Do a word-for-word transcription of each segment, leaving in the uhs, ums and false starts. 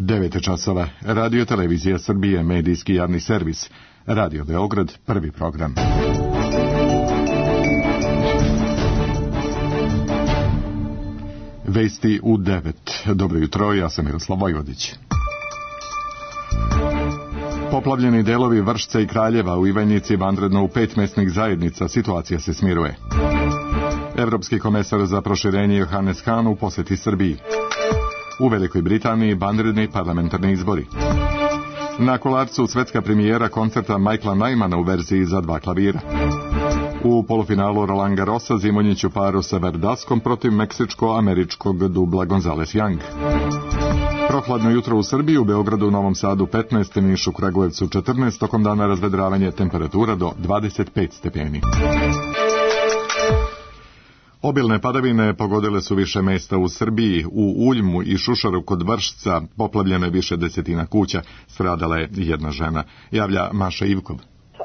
devet časova. Radio Televizija Srbije, medijski javni servis. Radio Beograd, prvi program. Vesti u devet. Dobro jutro, ja sam Miroslav Vojvodić. Poplavljeni delovi Vršca i Kraljeva u Ivanjici vanredno u pet mesnih zajednica, situacija se smiruje. Evropski komesar za proširenje Johannes Hahn u poseti Srbiji. U Velikoj Britaniji vanredni parlamentarni izbori. Na Kolarcu svetska premijera koncerta Michaela Nymana u verziji za dva klavira. U polufinalu Roland Garrosa Zimonjić u paru sa Verdaskom protiv meksičko-američkog dubla Gonzales Young. Prohladno jutro u Srbiji, u Beogradu, Novom Sadu petnaest, Nišu, Kragujevcu četrnaest, tokom dana razvedravanje, temperatura do dvadeset pet stepeni. Obilne padavine pogodile su više mesta u Srbiji. U Uljmu i Šušaru kod Vršca poplavljeno je više desetina kuća, stradala je jedna žena, javlja Maša Ivkov.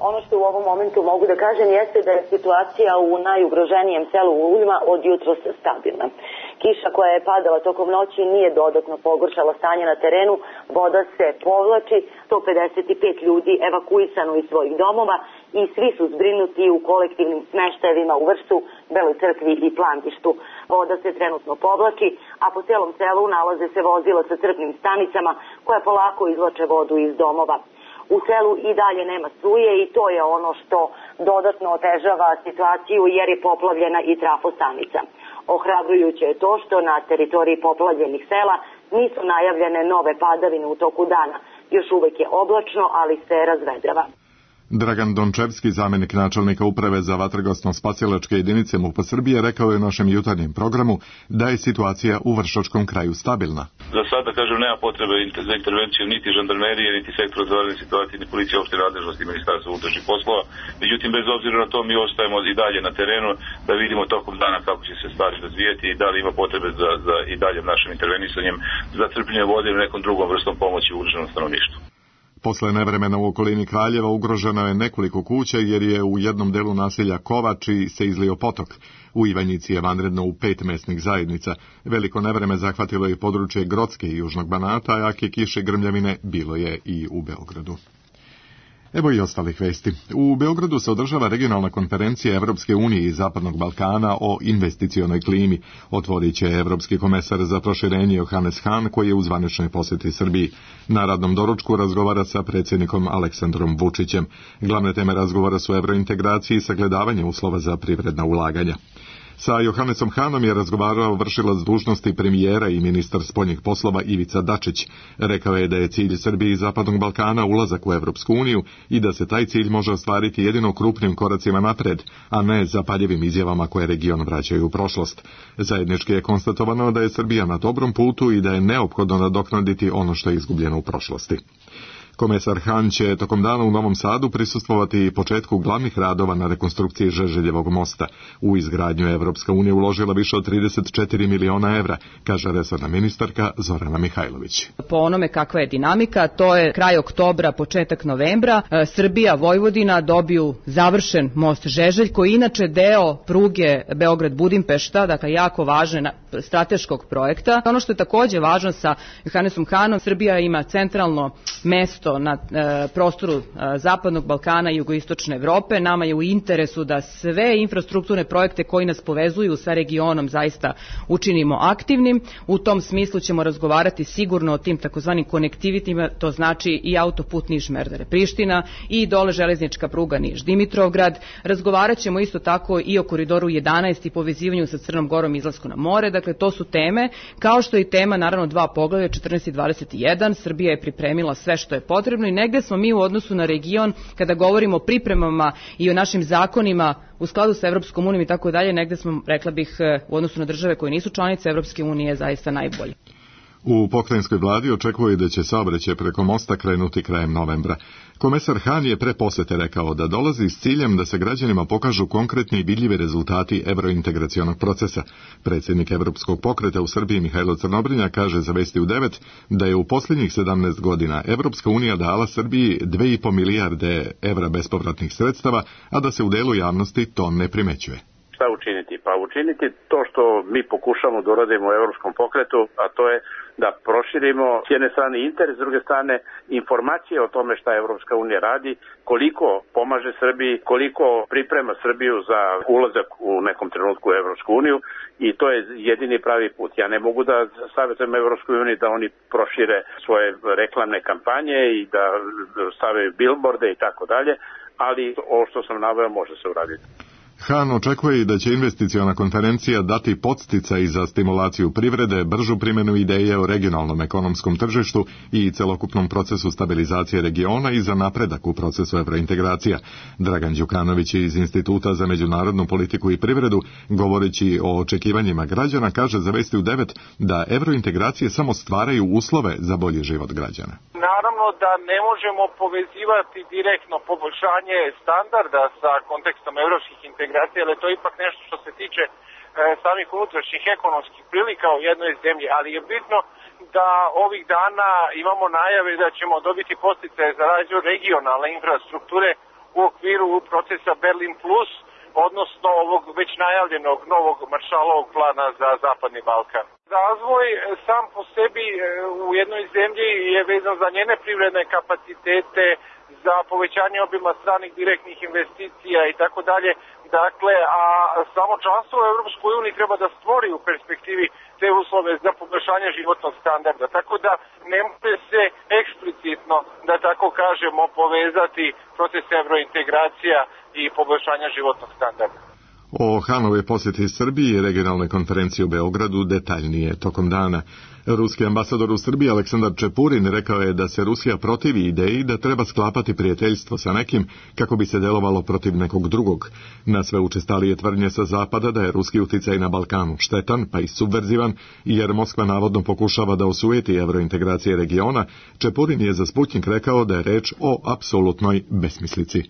Ono što u ovom momentu mogu da kažem jeste da je situacija u najugroženijem selu Uljma od jutros stabilna. Kiša koja je padala tokom noći nije dodatno pogoršala stanje na terenu, voda se povlači, sto pedeset pet ljudi evakuisano iz svojih domova i svi su zbrinuti u kolektivnim smeštajevima u Vršcu, Beloj crkvi i Plandištu. Voda se trenutno povlači, a po celom selu nalaze se vozila sa crpnim stanicama koja polako izvlače vodu iz domova. U selu i dalje nema struje i to je ono što dodatno otežava situaciju jer je poplavljena i trafostanica. Ohrabrujuće je to što na teritoriji poplavljenih sela nisu najavljene nove padavine u toku dana. Još uvek je oblačno, ali se razvedrava. Dragan Dončevski, zamenik načelnika uprave za vatrogasno-spasilačke jedinice MUP-a Srbije, rekao je u našem jutarnjem programu da je situacija u Vršačkom kraju stabilna. Za sada, kažem, nema potrebe za intervenciju niti žandarmerije, niti sektora za vanredne situacije, ni policija opšte nadležnosti Ministarstva unutrašnjih poslova. Međutim, bez obzira na to, mi ostajemo i dalje na terenu da vidimo tokom dana kako će se stvari razvijeti i da li ima potrebe za, za i dalje našim intervenisanjem za crpljenje vode ili nekom drugom vrstom pomoći ugroženom stanovništvu. Posle nevremena u okolini Kraljeva ugroženo je nekoliko kuća jer je u jednom delu naselja Kovači se izlio potok. U Ivanjici je vanredno u pet mesnih zajednica. Veliko nevreme zahvatilo je područje Grocke i Južnog Banata, a jake kiše i grmljavine bilo je i u Beogradu. Evo i ostalih vesti. U Beogradu se održava regionalna konferencija Evropske unije i Zapadnog Balkana o investicionoj klimi. Otvorit će Evropski komesar za proširenje Johannes Hahn, koji je u zvaničnoj poseti Srbiji. Na radnom doručku razgovara sa predsjednikom Aleksandrom Vučićem. Glavne teme razgovora su evrointegraciji i sagledavanje uslova za privredna ulaganja. Sa Johannesom Hahnom je razgovarao vršilac dužnosti premijera i ministar spoljnih poslova Ivica Dačić. Rekao je da je cilj Srbije i Zapadnog Balkana ulazak u Evropsku uniju i da se taj cilj može ostvariti jedino krupnim koracima napred, a ne zapaljivim izjavama koje region vraćaju u prošlost. Zajednički je konstatovano da je Srbija na dobrom putu i da je neophodno nadoknaditi ono što je izgubljeno u prošlosti. Komesar Hahn će tokom dana u Novom Sadu prisustvovati početku glavnih radova na rekonstrukciji Žeželjevog mosta. U izgradnju Evropska unija uložila više od trideset četiri miliona evra, kaže resorna ministarka Zorana Mihajlović. Po onome kakva je dinamika, to je kraj oktobra, početak novembra, Srbija, Vojvodina dobiju završen most Žeželj, koji je inače deo pruge Beograd-Budimpešta, dakle jako važan strateškog projekta. Ono što je takođe važno sa Johannesom Hahnom, Srbija ima centralno mesto na e, prostoru e, Zapadnog Balkana i jugoistočne Evrope. Nama je u interesu da sve infrastrukturne projekte koji nas povezuju sa regionom zaista učinimo aktivnim. U tom smislu ćemo razgovarati sigurno o tim takozvanim konektivitima, to znači i autoput Niš-Merdare-Priština i dole železnička pruga Niš-Dimitrovgrad. Razgovarat ćemo isto tako i o koridoru jedanaest i povezivanju sa Crnom Gorom i izlasku na more. Dakle, to su teme, kao što i tema, naravno, dva poglavlja, četrnaest i dvadeset jedan. Srbija je pripremila sve što je potrebno i negde smo mi u odnosu na region, kada govorimo o pripremama i o našim zakonima u skladu sa Evropskom unijom i tako dalje, negde smo, rekla bih, u odnosu na države koje nisu članice Evropske unije zaista najbolje. U pokrajinskoj vladi očekuje da će saobraćaj preko mosta krenuti krajem novembra. Komesar Hahn je pre posete rekao da dolazi s ciljem da se građanima pokažu konkretni i vidljivi rezultati evrointegracionog procesa. Predsjednik Evropskog pokreta u Srbiji Mihajlo Crnobrinja kaže za Vesti u devet da je u posljednjih sedamnaest godina Evropska unija dala Srbiji dve i po milijarde evra bespovratnih sredstava, a da se u delu javnosti to ne primećuje. šta učiniti? Pa učiniti to što mi pokušamo da uradimo u Evropskom pokretu, a to je da proširimo s jedne strane interes, s druge strane informacije o tome šta Evropska unija radi, koliko pomaže Srbiji, koliko priprema Srbiju za ulazak u nekom trenutku u Evropsku uniju i to je jedini pravi put. Ja ne mogu da savjetujem Evropskoj uniji da oni prošire svoje reklamne kampanje i da stave bilborde i tako dalje, ali ovo što sam naveo može se uraditi. Han očekuje i da će investiciona konferencija dati podsticaj za stimulaciju privrede, bržu primjenu ideje o regionalnom ekonomskom tržištu i celokupnom procesu stabilizacije regiona i za napredak u procesu evrointegracija. Dragan Đukanović iz Instituta za međunarodnu politiku i privredu, govoreći o očekivanjima građana, kaže za Vesti u devet da evrointegracije samo stvaraju uslove za bolji život građana. Naravno da ne možemo povezivati direktno poboljšanje standarda sa kontekstom evropskih integracija, ali to je ipak nešto što se tiče e, samih unutrašnjih ekonomskih prilika u jednoj zemlji, ali je bitno da ovih dana imamo najave da ćemo dobiti podsticaje za razvoj regionalne infrastrukture u okviru procesa Berlin plus, odnosno ovog već najavljenog novog Maršalovog plana za Zapadni Balkan. Razvoj sam po sebi u jednoj zemlji je vezan za njene privredne kapacitete, za povećanje obima stranih direktnih investicija i tako dalje. Dakle, a samo članstvo u Evropskoj uniji treba da stvori u perspektivi te uslove za poboljšanje životnog standarda. Tako da ne može se eksplicitno, da tako kažemo, povezati proces evrointegracija i poboljšanja životnog standarda. O Hanove posjeti Srbiji i regionalne konferencije u Beogradu detaljnije tokom dana. Ruski ambasador u Srbiji Aleksandar Čepurin rekao je da se Rusija protivi ideji da treba sklapati prijateljstvo sa nekim kako bi se delovalo protiv nekog drugog. Na sve učestalije tvrdnje sa zapada da je ruski uticaj na Balkanu štetan pa i subverzivan, jer Moskva navodno pokušava da osujeti evrointegracije regiona, Čepurin je za Sputnik rekao da je reč o apsolutnoj besmislici.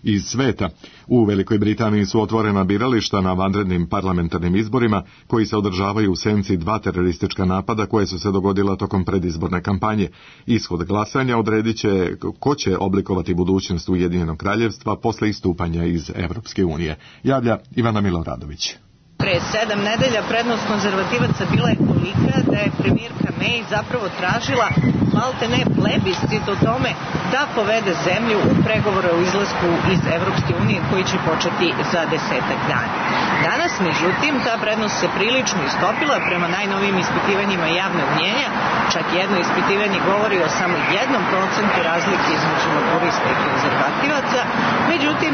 Iz sveta. U Velikoj Britaniji su otvorena birališta na vanrednim parlamentarnim izborima koji se održavaju u senci dva teroristička napada koje su se dogodila tokom predizborne kampanje. Ishod glasanja odredit će ko će oblikovati budućnost Ujedinjenog kraljevstva posle istupanja iz Evropske unije. Javlja Ivana Miloradović. Pre sedam nedelja prednost konzervativaca bila je tolika da je premijerka May zapravo tražila malte ne plebiscit o tome da povede zemlju u pregovore o izlasku iz Evropske unije koji će početi za desetak dana. Danas, međutim, ta prednost se prilično istopila prema najnovijim ispitivanjima javnog mnjenja. Čak jedno ispitivanje govori o samo jednom procentu razlike između laburista i konzervativaca. Međutim,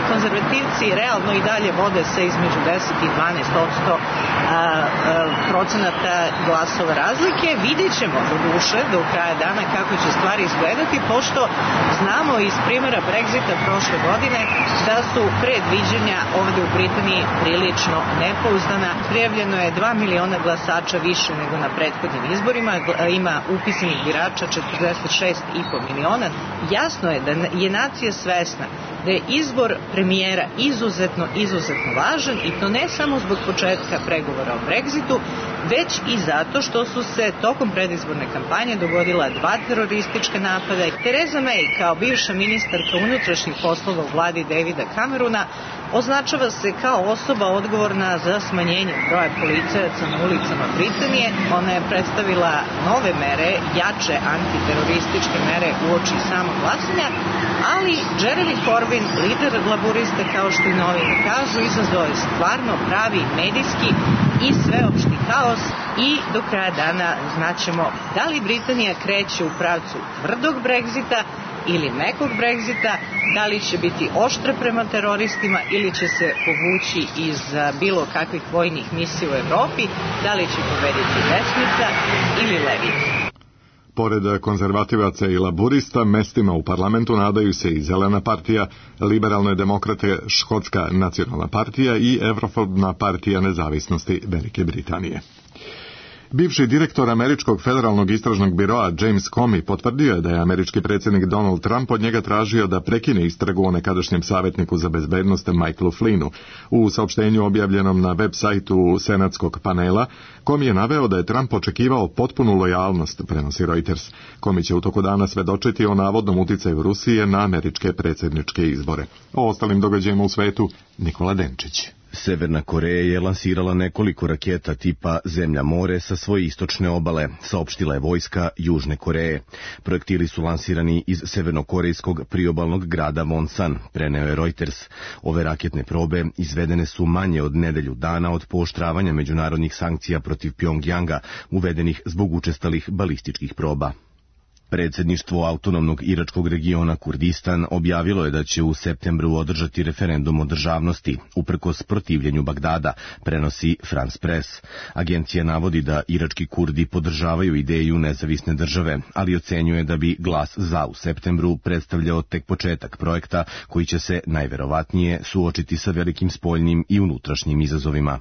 konzervativci realno i dalje vode se između deset i dvanaest posto procenata glasova razlike. Vidjet ćemo do duše do kraja dana kako će stvari izgledati, pošto znamo iz primjera Brexita prošle godine da su predviđanja ovde u Britaniji prilično nepouzdana. Prijavljeno je dva miliona glasača više nego na prethodnim izborima, ima upisanih birača četrdeset šest i po miliona. Jasno je da je nacija svesna da je izbor premijera izuzetno, izuzetno važan i to ne samo zbog početka pregovora o Brexitu, već i zato što su se tokom predizborne kampanje dogodila dva teroristička napada. Theresa May, kao bivša ministarka unutrašnjih poslova u vladi Davida Camerona, označava se kao osoba odgovorna za smanjenje broja policajaca na ulicama Britanije. Ona je predstavila nove mere, jače antiterorističke mere uoči samog glasanja, ali Jeremy Corbyn, lider laburista, kao što i novine kažu, izazvao je stvarno pravi medijski i sveopšti haos i do kraja dana znaćemo da li Britanija kreće u pravcu tvrdog Brexita ili mekog Brexita, da li će biti oštra prema teroristima ili će se povući iz bilo kakvih vojnih misija u Evropi, da li će pobediti desnica ili levica. Pored konzervativaca i laburista, mestima u parlamentu nadaju se i Zelena partija, Liberalne demokrate, Škotska nacionalna partija i Evrofobna partija nezavisnosti Velike Britanije. Bivši direktor američkog federalnog istražnog biroa James Comey potvrdio je da je američki predsjednik Donald Trump od njega tražio da prekine istragu o nekadašnjem savjetniku za bezbednost Michaelu Flynnu. U saopštenju objavljenom na web sajtu senatskog panela, Comey je naveo da je Trump očekivao potpunu lojalnost, prenosi Reuters. Comey će u toku dana svedočiti o navodnom uticaju Rusije na američke predsjedničke izbore. O ostalim događajima u svetu, Nikola Denčić. Severna Koreja je lansirala nekoliko raketa tipa Zemlja-more sa svoje istočne obale, saopštila je vojska Južne Koreje. Projektili su lansirani iz severnokorejskog priobalnog grada Wonsan, preneo je Reuters. Ove raketne probe izvedene su manje od nedelju dana od pooštravanja međunarodnih sankcija protiv Pjongjanga, uvedenih zbog učestalih balističkih proba. Predsjedništvo autonomnog iračkog regiona Kurdistan objavilo je da će u septembru održati referendum o državnosti, uprkos protivljenju Bagdada, prenosi France Press. Agencija navodi da irački Kurdi podržavaju ideju nezavisne države, ali ocenjuje da bi glas za u septembru predstavljao tek početak projekta koji će se najverovatnije suočiti sa velikim spoljnim i unutrašnjim izazovima.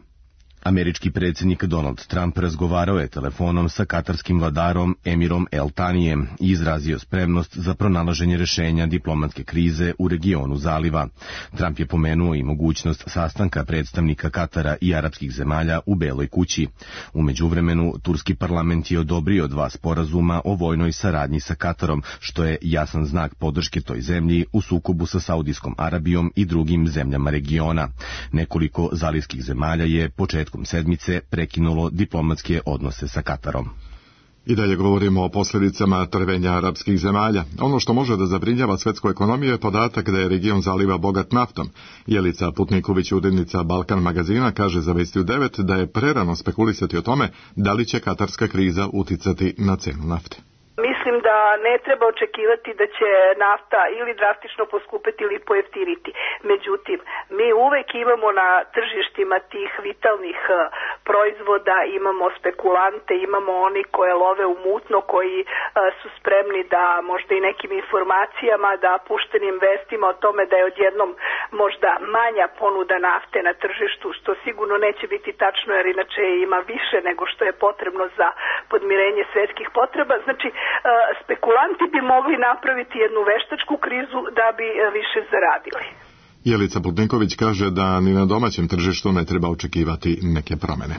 Američki predsjednik Donald Trump razgovarao je telefonom sa katarskim vladarom Emirom El Tanijem i izrazio spremnost za pronalaženje rešenja diplomatske krize u regionu zaliva. Trump je pomenuo i mogućnost sastanka predstavnika Katara i arapskih zemalja u Beloj kući. U međuvremenu, turski parlament je odobrio dva sporazuma o vojnoj saradnji sa Katarom, što je jasan znak podrške toj zemlji u sukobu sa Saudijskom Arabijom i drugim zemljama regiona. Nekoliko zalivskih zemalja je početkom sedmice prekinulo diplomatske odnose sa Katarom. I dalje govorimo o posljedicama trvenja arapskih zemalja. Ono što može da zabrinjava svetsku ekonomiju je podatak da je region zaliva bogat naftom. Jelica Putniković, urednica Balkan magazina, kaže za Vesti u devet da je prerano spekulisati o tome da li će katarska kriza uticati na cenu nafte. Mislim da ne treba očekivati da će nafta ili drastično poskupiti ili pojeftiniti. Međutim, mi uvek imamo na tržištima tih vitalnih proizvoda, imamo spekulante, imamo oni koje love u mutno, koji su spremni da možda i nekim informacijama, da puštenim vestima o tome da je odjednom možda manja ponuda nafte na tržištu, što sigurno neće biti tačno jer inače ima više nego što je potrebno za podmirenje svetskih potreba. Znači, spekulanti bi mogli napraviti jednu veštačku krizu da bi više zaradili. Jelica Putniković kaže da ni na domaćem tržištu ne treba očekivati neke promjene.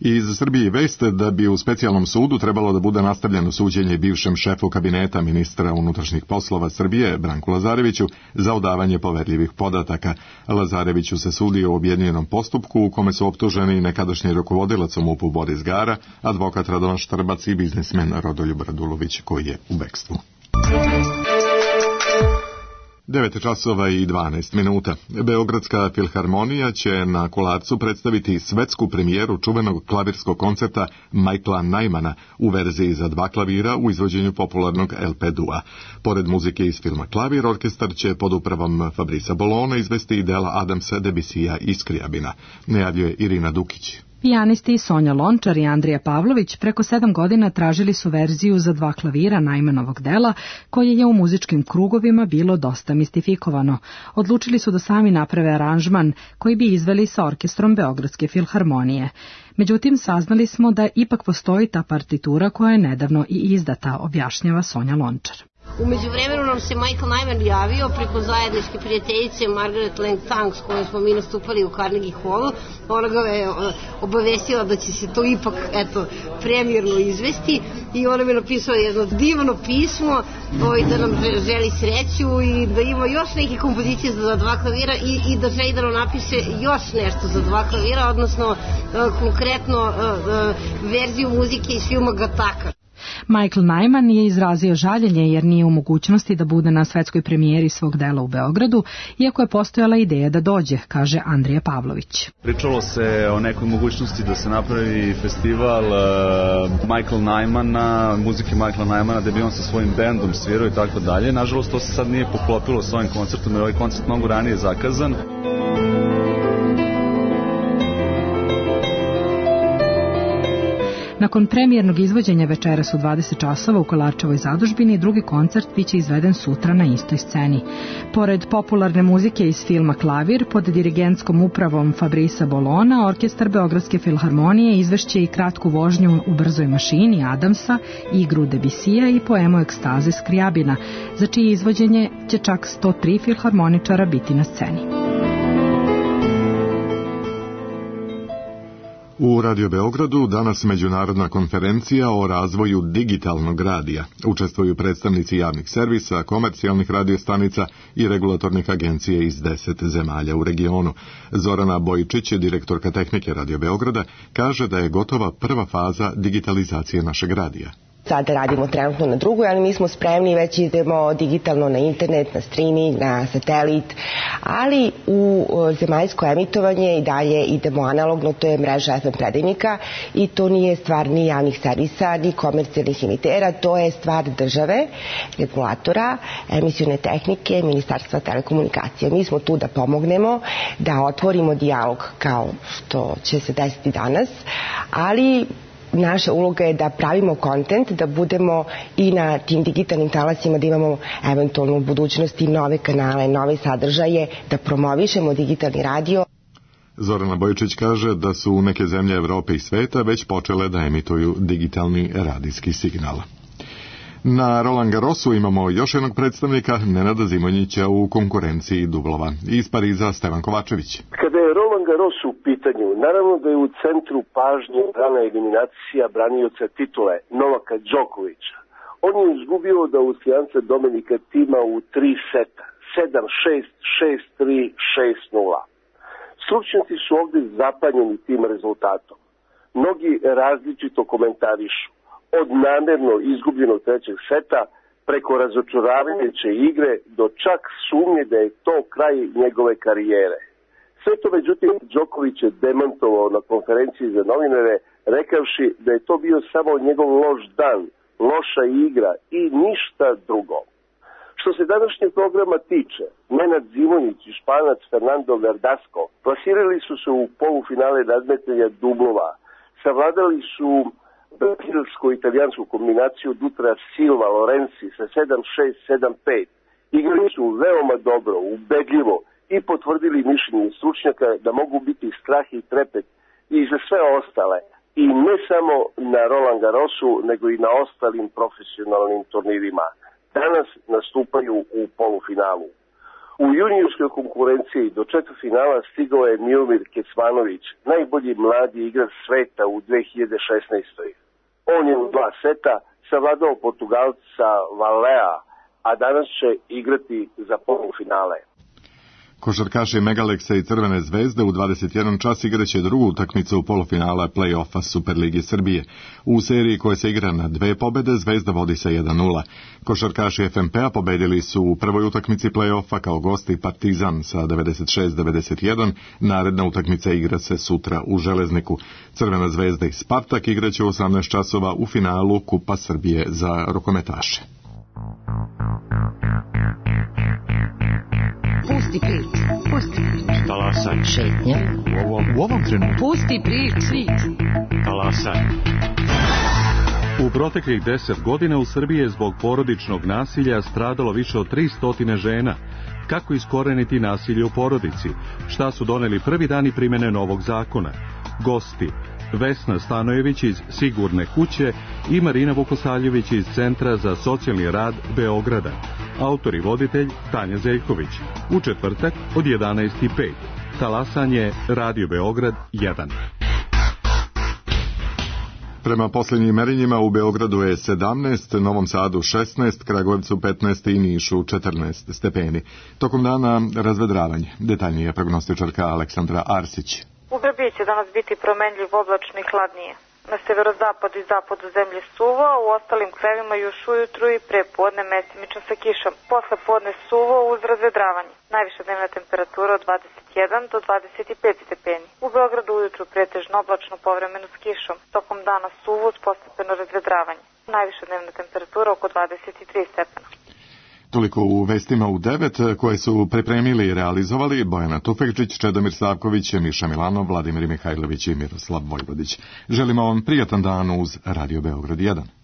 Iz Srbije vest da bi u specijalnom sudu trebalo da bude nastavljeno suđenje bivšem šefu kabineta ministra unutrašnjih poslova Srbije, Branku Lazareviću, za odavanje poverljivih podataka. Lazareviću se sudi u objedinjenom postupku u kome su optuženi nekadašnji rukovodilac u MUP-u Boris Gara, advokat Radovan Štrbac i biznismen Rodoljub Radulović koji je u bekstvu. devet časova i dvanaest minuta. Beogradska filharmonija će na Kolarcu predstaviti svetsku premijeru čuvenog klavirskog koncerta Michaela Nymana u verziji za dva klavira u izvođenju popularnog L P dua. Pored muzike iz filma Klavir, orkestar će pod upravom Fabrica Bolona izvesti i dela Adamsa, Debussyja i Scriabina, najavljuje Irina Dukić. Pijanisti Sonja Lončar i Andrija Pavlović preko sedam godina tražili su verziju za dva klavira Najmanovog dela, koje je u muzičkim krugovima bilo dosta mistifikovano. Odlučili su da sami naprave aranžman koji bi izveli sa orkestrom Beogradske filharmonije. Međutim, saznali smo da ipak postoji ta partitura koja je nedavno i izdata, objašnjava Sonja Lončar. U međuvremenu nam se Michael Nyman javio preko zajedničke prijateljice Margaret Lang Tang s kojom smo mi nastupali u Carnegie Hallu. Ona ga je obavestila da će se to ipak eto, premijerno izvesti i ona mi je napisala jedno divno pismo da nam želi sreću i da ima još neke kompozicije za dva klavira i, i da želi da nam napiše još nešto za dva klavira, odnosno konkretno verziju muzike iz filma Gataka. Michael Nyman je izrazio žaljenje jer nije u mogućnosti da bude na svetskoj premijeri svog dela u Beogradu, iako je postojala ideja da dođe, kaže Andrija Pavlović. Pričalo se o nekoj mogućnosti da se napravi festival uh, Michael Nymana, muzike Michaela Nymana, da bi on sa svojim bendom svirao i tako dalje. Nažalost, to se sad nije poklopilo s ovim koncertom, jer ovaj koncert mnogo ranije zakazan. Nakon premijernog izvođenja večeras u dvadeset časova u Kolarčevoj zadužbini, drugi koncert biće izveden sutra na istoj sceni. Pored popularne muzike iz filma Klavir, pod dirigentskom upravom Fabrisa Bolona, orkestar Beogradske filharmonije izvešće i kratku vožnju u brzoj mašini Adamsa, igru Debisija i poemu Ekstaze Skrijabina, za čije izvođenje će čak sto tri filharmoničara biti na sceni. U Radio Beogradu danas međunarodna konferencija o razvoju digitalnog radija. Učestvuju predstavnici javnih servisa, komercijalnih radiostanica i regulatornih agencija iz deset zemalja u regionu. Zorana Bojičić, direktorka tehnike Radio Beograda, kaže da je gotova prva faza digitalizacije našeg radija. Sada radimo trenutno na drugoj, ali mi smo spremni, već idemo digitalno na internet, na streaming, na satelit, ali u zemaljsko emitovanje i dalje idemo analogno, to je mreža F M predajnika i to nije stvar ni javnih servisa, ni komercijalnih emitera, to je stvar države, regulatora, emisione tehnike, Ministarstva telekomunikacija. Mi smo tu da pomognemo, da otvorimo dijalog kao što će se desiti danas, ali naša uloga je da pravimo kontent, da budemo i na tim digitalnim talasima, da imamo eventualno u budućnosti nove kanale, nove sadržaje, da promovišemo digitalni radio. Zorana Bojičić kaže da su neke zemlje Evrope i sveta već počele da emituju digitalni radijski signal. Na Roland Garrosu imamo još jednog predstavnika, Nenada Zimonjića u konkurenciji dublova. Iz Pariza Stevan Kovačević. Kada je Roland Garros u pitanju, naravno da je u centru pažnje rana eliminacija branioca titule Novaka Đokovića. On je izgubio od Austrijanca Dominika Tima u tri seta, sedam šest, šest tri, šest nula. Stručnjaci su ovde zapanjeni tim rezultatom. Mnogi različito komentarišu. Od namerno izgubljenog trećeg seta preko razočaravajuće igre do čak sumnje da je to kraj njegove karijere. Sve to međutim Đoković je demantovao na konferenciji za novinare, rekavši da je to bio samo njegov loš dan, loša igra i ništa drugo. Što se današnjeg programa tiče, Nenad Zimonjić i Španac Fernando Verdasco plasirali su se u polufinale nadmetanja dublova, savladali su brazilsko-italijansku kombinaciju Dutra Silva Lorenzi sa sedam šest sedam pet. Igrali su veoma dobro, ubedljivo i potvrdili mišljenje stručnjaka da mogu biti strah i trepet i za sve ostale. I ne samo na Roland Garrosu, nego i na ostalim profesionalnim turnirima. Danas nastupaju u polufinalu. U juniorskoj konkurenciji do četvrtfinala stigao je Miomir Kecmanović, najbolji mladi igrač sveta u dve hiljade šesnaestoj. On je u dva seta savladao Portugalca Valea, a danas će igrati za polufinale. Košarkaši Megaleksa i Crvene zvezde u dvadeset jedan čas igraće drugu utakmicu u polufinala play-offa Superlige Srbije. U seriji koja se igra na dve pobede, Zvezda vodi sa jedan nula. Košarkaši F M P-a pobedili su u prvoj utakmici play-offa kao gosti Partizan sa devedeset šest devedeset jedan. Naredna utakmica igra se sutra u Železniku. Crvena zvezda i Spartak igraće u osamnaest časova u finalu Kupa Srbije za rukometaše. Pusti priču, pusti priču. Talasaj. Šetnja. U ovom, u ovom trenutku. Pusti priču. Talasaj. U proteklih deset godina u Srbiji je zbog porodičnog nasilja stradalo više od tristo žena. Kako iskoreniti nasilje u porodici? Šta su doneli prvi dani primjene novog zakona? Gosti: Vesna Stanojević iz Sigurne kuće i Marina Vukosaljević iz Centra za socijalni rad Beograda. Autor i voditelj Tanja Zeljković. U četvrtak od jedanaest i pet. Talasanje Radio Beograd jedan. Prema posljednjim merenjima u Beogradu je sedamnaest, Novom Sadu šesnaest, Kragujevcu petnaest i Nišu četrnaest stepeni. Tokom dana razvedravanje. Detaljnije prognostičarka Aleksandra Arsić. U Srbiji će danas biti promenljiv, oblačno i hladnije. Na severozapadu i zapadu zemlje suvo, a u ostalim krajevima još ujutru i pre podne mestimično sa kišom. Posle podne suvo uz razvedravanje. Najviša dnevna temperatura od dvadeset jedan do dvadeset pet stepeni. U Beogradu ujutru pretežno oblačno, povremeno s kišom. Tokom dana suvo uz postepeno razvedravanje. Najviša dnevna temperatura oko dvadeset tri stepena. Toliko u vestima u devet koje su pripremili i realizovali Bojana Tufekčić, Čedomir Savković, Miša Milanov, Vladimir Mihajlović i Miroslav Vojvodić. Želimo vam prijatan dan uz Radio Beograd jedan.